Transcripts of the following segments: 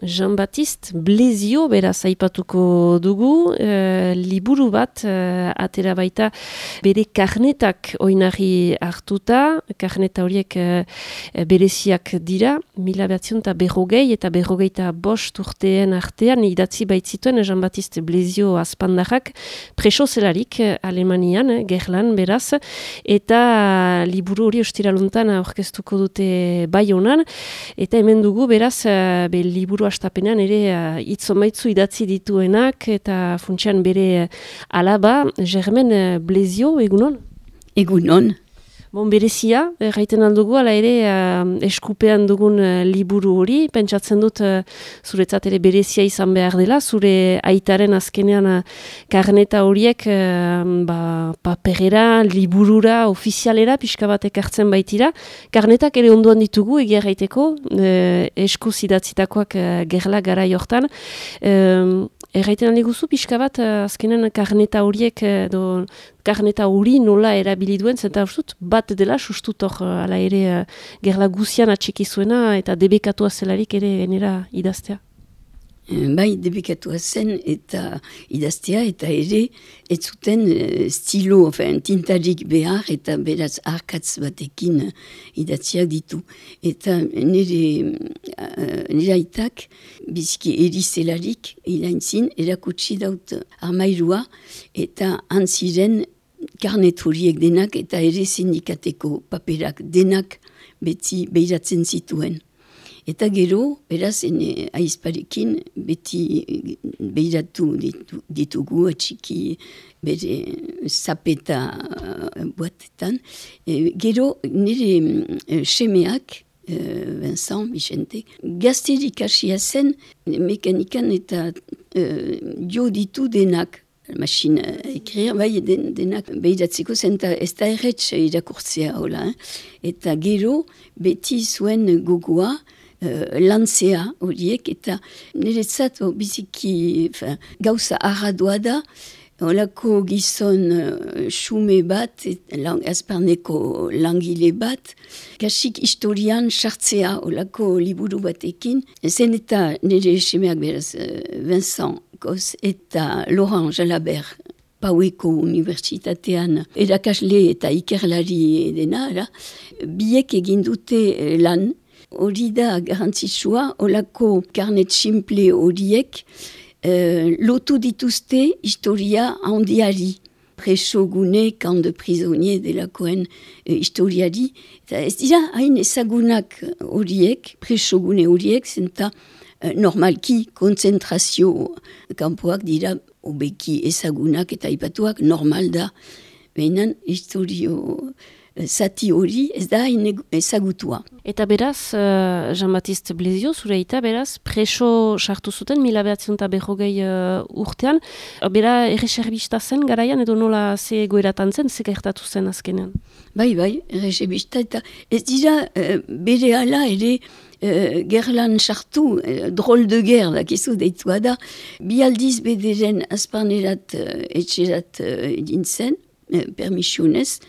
Jean-Baptiste Blezio, beraz aipatuko dugu, liburu bat atera baita bere karnetak oinarri hartuta, karneta horiek bereziak dira, 1940 eta 45 urteen artean idatzi baitzituen Jean-Baptiste Blezio azpandarrak preso zelarik Alemanian, gerlan beraz, eta liburu hori ostiraluntan aurkeztuko dute Baionan, eta hemen dugu beraz liburu astapenean ere hitzomaitzu idatzi dituenak eta funtsean bere alaba, Germaine Blezio, egunon? Egunon. Bon, berezia, gaiten aldugu, ala ere eskupean dugun liburu hori, pentsatzen dut zuretzat ere berezia izan behar dela, zure aitaren azkenean karneta horiek paperera, liburura, ofizialera, pixka batek hartzen baitira. Karnetak ere onduan ditugu, egia gaiteko, eskuz idatzitakoak gerla gara jortan. Erraiten aldiguzu, pixka bat, azkenean karneta horiek, karneta hori nola erabili duen, zenta ustut, bat dela, sustut hor, ala ere, gerla guzian atxeki zuena, eta debekatua zelarik ere genera idaztea. Bai, debekatua zen eta idaztea, eta ere, ez zuten stilo, tintarik behar, eta beraz arkatz batekin idatziak ditu. Eta nire aitak, biziki erizelarik, ilaintzin, erakutsi daut armairua, eta antziren karnet horiek denak, eta ere sindikateko paperak denak beti behiratzen zituen. Eta gero, beraz, aizparekin beti behiratu ditugu atxiki bere zapeta boatetan. Gero, nire semeak, Vincent, Vicente, gazterik hasia zen mekanikan eta jo ditu denak. Machine ekrir, bai, denak behiratzeko zen, ez da erretz irakurtzea hola. Eta gero, beti zuen gogoa, lantzea horiek, eta niretzat biziki gauza arradoa da, holako gizon xume bat, azparneko langile bat, kasik historian sartzea holako liburu batekin, zen eta nire semeak beraz Vincent Kos eta Laurent Jalabert, Paueko Unibertsitatean erakasle eta ikerlari dena, biek egin dute lan. Hori da garantzitsua, holako karnet simple horiek lotu dituzte historia handiari. Preso gune, camp de prisonnier delakoen historiari. Eta ez dira hain ezagunak horiek, preso gune horiek, zenta normalki konzentrazio kanpoak dira obeki ezagunak eta ipatuak normal da. Behinan historio zati hori ez da ezagutua. Eta beraz, Jean-Baptiste Blezio, zure eta beraz, preso sartu zuten 1940 urtean. Bera erreserbista zen garaian edo nola ze goeratan zen, ze gertatu zen azkenean? Bai, erreserbista eta ez dira bere ala ere gerlan sartu, drôle de guerre, dakizu deitua da. Bi aldiz bederen azparnerat etxerat dintzen, permisionez,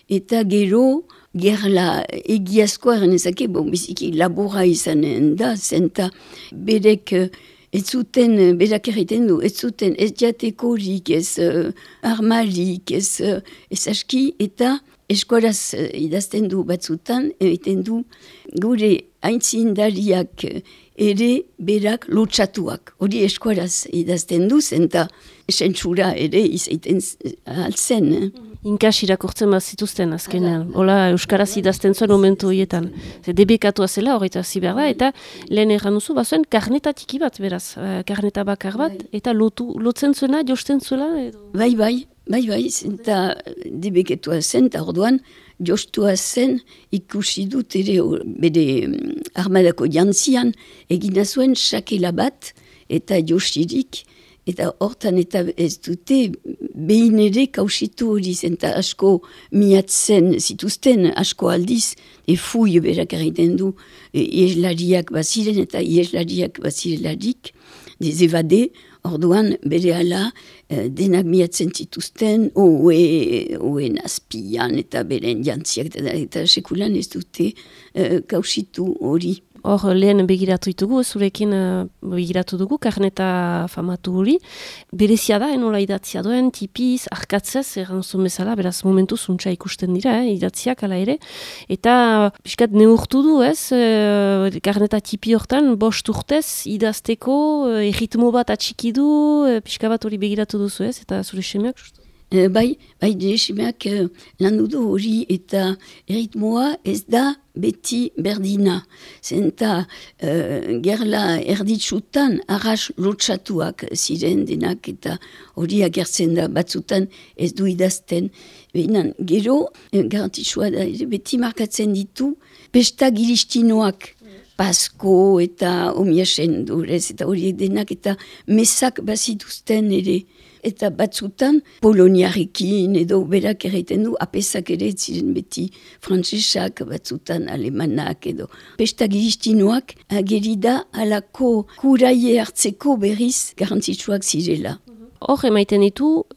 eta gero gerla egiazkoa eranezake, biziki labora izanen da, zenta berek ez zuten, berak erriten du, ez zuten ez jatekorik, ez armalik, ez aski, eta eskuaraz idazten du batzutan, egiten du gure aintzindariak ere berak lotsatuak. Hori eskuaraz idazten du, zenta sentsura ere izaiten altzen. Inkas irakurtzen bat zituzten azkenean. Hola, euskaraz idazten zuen momentu horietan. Debekatua zela horreta ziber da, eta lehen erran duzu, bazuen karneta tiki bat beraz, karneta bakar bat, eta lotzen zuena, josten zuela? Bai, zenta debeketua zen, eta orduan, jostua zen, ikusi dut ere bere armadako jantzian, egina zuen sakela bat, eta josirik, eta hortan eta ez dute behin ere kausitu hori zen, eta asko miatzen zituzten, asko aldiz, fui berak egiten du, ieslariak baziren eta ieslariak bazirelarik, dezebade, orduan bere ala denak miatzen zituzten, oen azpian eta beren jantziak, eta sekulan ez dute kausitu hori. hor lehen begiratu ditugu, zurekin begiratu dugu, karneta famatu hori. Berezia da, enola idatzia duen, tipiz, arkatzez, erranzun bezala, beraz momentu zuntza ikusten dira, idatziak ala ere. Eta piskat neurtu du, ez, karneta tipi hortan, 5 urtez idazteko, erritmo bat atxiki du, pixka bat hori begiratu duzu, ez, eta zure semeak justu? Bai, semeak lan du hori eta erritmoa ez da beti berdina. Zenta gerla erditsutan arras lotsatuak ziren denak eta hori agertzen da batzutan ez du idazten. Behinan, gero, garantitsua da, beti markatzen ditu pesta giristinoak. Pasko eta omiasen durez eta horiek denak eta mesak bazituzten ere. Eta batzutan poloniarekin edo berak erraiten du apesak ere ziren beti frantsesak, batzutan alemanak edo. Pesta giristinoak agerida alako kuraie hartzeko berriz garantzitsuak zirela. Hor, emaiten ditu,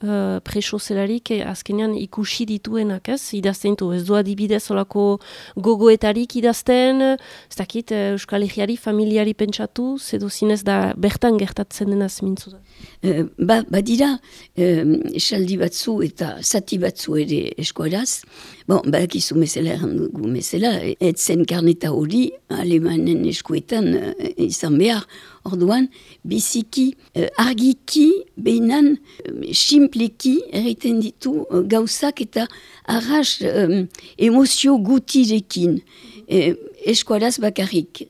preso zelarik azkenean ikusi dituenak, ez? Idazten ditu, ez du adibidez olako gogoetarik idazten, ez dakit, Euskal Herriari, familiari pentsatu, zedo zinez da bertan gertatzen denaz mintzu da. Badira, esaldi batzu eta zati batzu ere eskualaz. Badakizu mesela errandugu mesela, etzen karneta hori alemanen eskuetan izan behar. Orduan, biziki, argiki, behinan, simpleki erraiten ditu gauzak eta arras emozio gutirekin. Eskualaz bakarrik,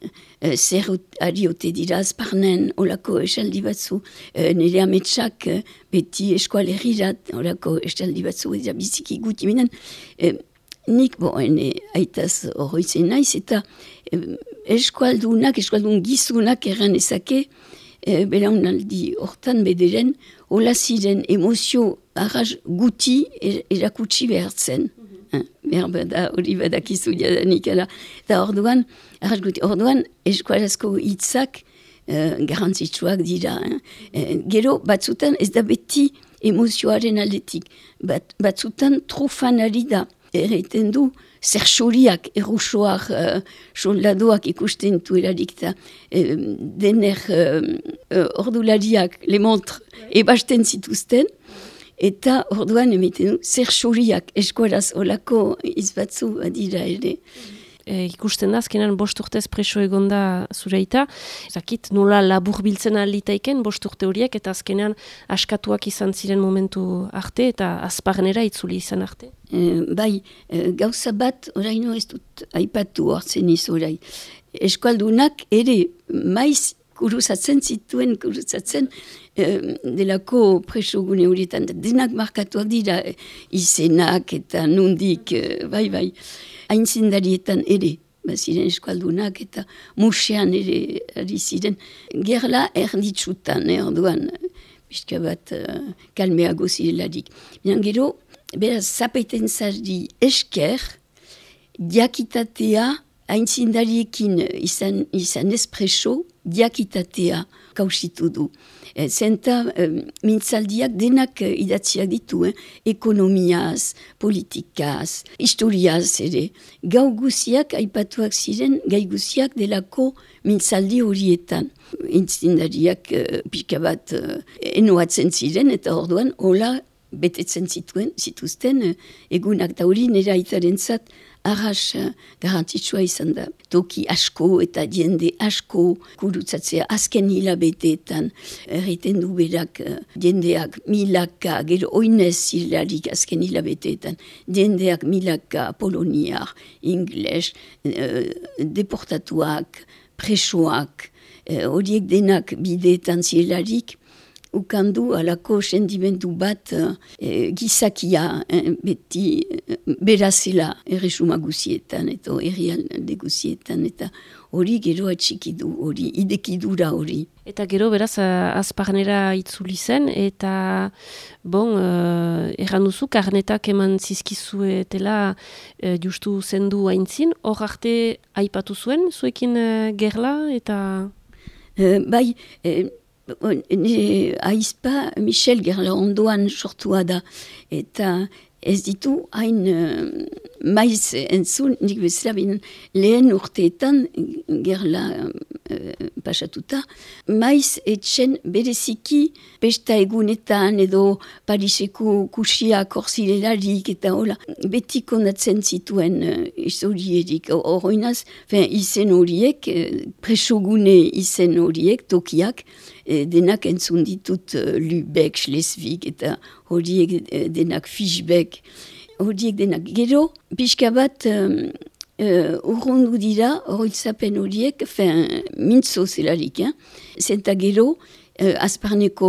zer ariote dira azparnen, olako esaldi batzu, nire ametsak beti eskualerirat, olako esaldi batzu, eta biziki guti binen. Nik, aitaz horroitzen naiz, eta eskualdun gizunak erran ezake, belaunaldi hortan bederen, hola ziren emozio arras guti erakutsi behartzen. Hori badakizu jadanik, eta orduan, arras guti, orduan eskualazko hitzak garantzitsuak dira. Gero, batzutan ez da beti emozioaren aldetik, batzutan trufanari da. Erraiten du, zer xoriak, errusoak, soldadoak ikusten duelarik eta dener ordulariak, le montre, ebasten zituzten, eta orduan emaiten du, zer xoriak, eskualaz olako izbatzu adira ere. Ikusten da, azkenan 5 urtez preso egonda zureita. Zakit, nola labur biltzen alitaiken 5 urte horiek, eta azkenan askatuak izan ziren momentu arte, eta azparnera itzuli izan arte. Gauza bat, oraino ez dut aipatu hartzen iz orai. Eskualdunak ere maiz kuruzatzen delako presogune horietan. Denak markatuak dira izenak eta nundik, bai. Aintzindarietan ere, ziren eskualdunak eta musean ere ari ziren. Gerla erditsutan, orduan, pixka bat kalmeago zirelarik. Gero, beraz, zapaiten zardi esker, diakitatea, aintzindariekin izan espreso, diakitatea kausitu du. Zenta mintzaldiak denak idatziak ditu, ekonomiaz, politikaz, historiaz ere. Gau guziak aipatuak ziren, gai guziak delako mintzaldi horietan. Intzindariak pixka bat enoatzen ziren eta orduan hola betetzen zituzten egunak da hori nire aitaren zat arras garantitsua izan da. Toki asko eta jende asko kurutzatzea azken hilabeteetan erriten du berak jendeak milaka, gero oinez zirlarik azken hilabeteetan, jendeak milaka poloniak, ingles, deportatuak, presoak, horiek denak bideetan zirlarik, ukandu alako sendimendu bat gizakia beti berazela erresuma guzietan eta herrialde guzietan eta hori gero atxikidu, hori idekidura hori. Eta gero beraz azparnera itzuli zen eta erran duzu karnetak eman zizkizuetela justu zendu haintzin, hor arte aipatu zuen zuekin gerla eta... Bai, aizpa Michel Gerla ondoan sortua da eta ez ditu hain maiz entzun, nik bezala binen lehen urteetan, gerla pasatuta, maiz etxen bereziki pesta egunetan edo Pariseko kusiak orzilelarik eta hola, beti konatzen zituen historierik. Horroinaz, izen horiek, presogune izen horiek, tokiak, denak entzun ditut Lübeck, Schleswig eta horiek denak Fischbeck, horiek denak. Gero, pixka bat urrundu dira, horoitzapen horiek, mintzo zelarik, zenta gero, azparneko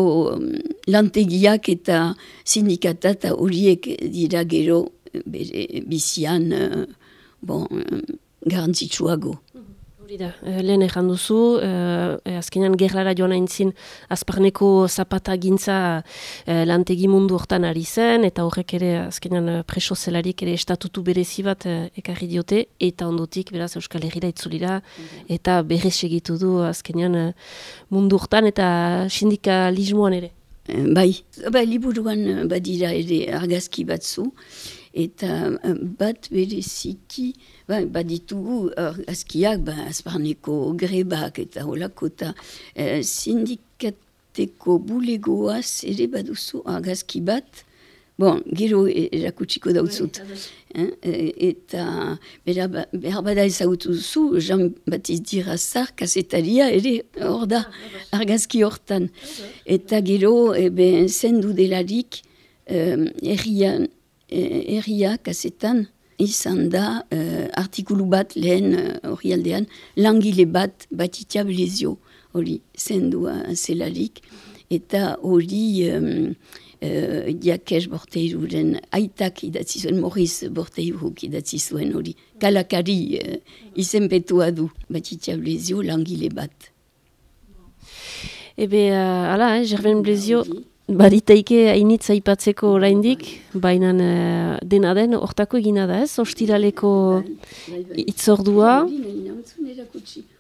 lantegiak eta sindikata eta horiek dira gero bizian garantzitsuago. Lehen ejan duzu, azkenean gerlara joan aintzin azparneko zapata gintza lantegi mundu hortan ari zen, eta horrek ere azkenean preso zelarik ere estatutu berezi bat ekarri diote, eta ondotik beraz Euskal Herrira itzulira, eta berrez segitu du azkenean mundu hortan eta sindikalismoan ere. Bai, liburuan badira ere argazki batzu, eta bat bereziki baditugu argazkiak azparneko grebak eta holako eta sindikateko bulegoaz ere baduzu argazki bat, gero erakutsiko dautzut. Eta behar bada ezagutu duzu, Jean-Baptiste Dirazar kasetaria ere hor da argazki hortan. Eta gero zendu delarik herria kasetan izan da artikulu bat lehen horrialdean langile bat Batitia Blezio hori zendua zelarik eta hori Jakes Borteiruren aitak idatzi zuen, Maurice Borteiruk idatzi zuen hori kalakari izenpetua du Batitia Blezio langile bat. Hala, Germain Blezio baditaike hainitz aipatzeko oraindik, baina dena den hortako egina da ez, ostiraleko itzordua.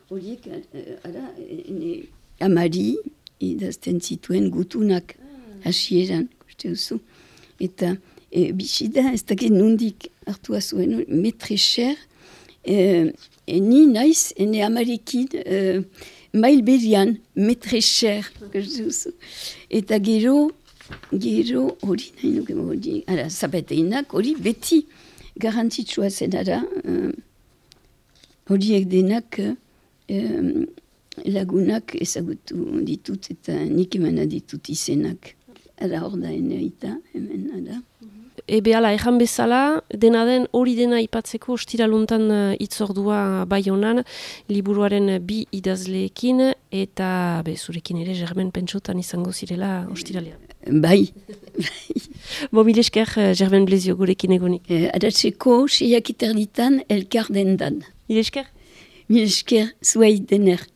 Horiek, amari idazten zituen gutunak hasieran, uste duzu. Eta bisida, ez dakit nundik hartua zuen, metre cher, ni naiz, ene amarekin, mail berian, metre cher, eta gero, hori nahi nuke hori, zapateinak, hori beti garantzitsua zenara, horiek denak lagunak ezagutu ditut eta nik emana ditut izenak. Hor da eneita, hemen, Hala, ejan bezala, dena den hori dena aipatzeko ostiraluntan itzordua bai honan, liburuaren bi idazleekin, eta zurekin ere Germain pentsotan izango zirela ostiralean. Bai. Mil esker, Germain Blezio gurekin egonik. Adatzeko, 6:30 elkar dendan. Mil esker? Mil esker, zuei dener.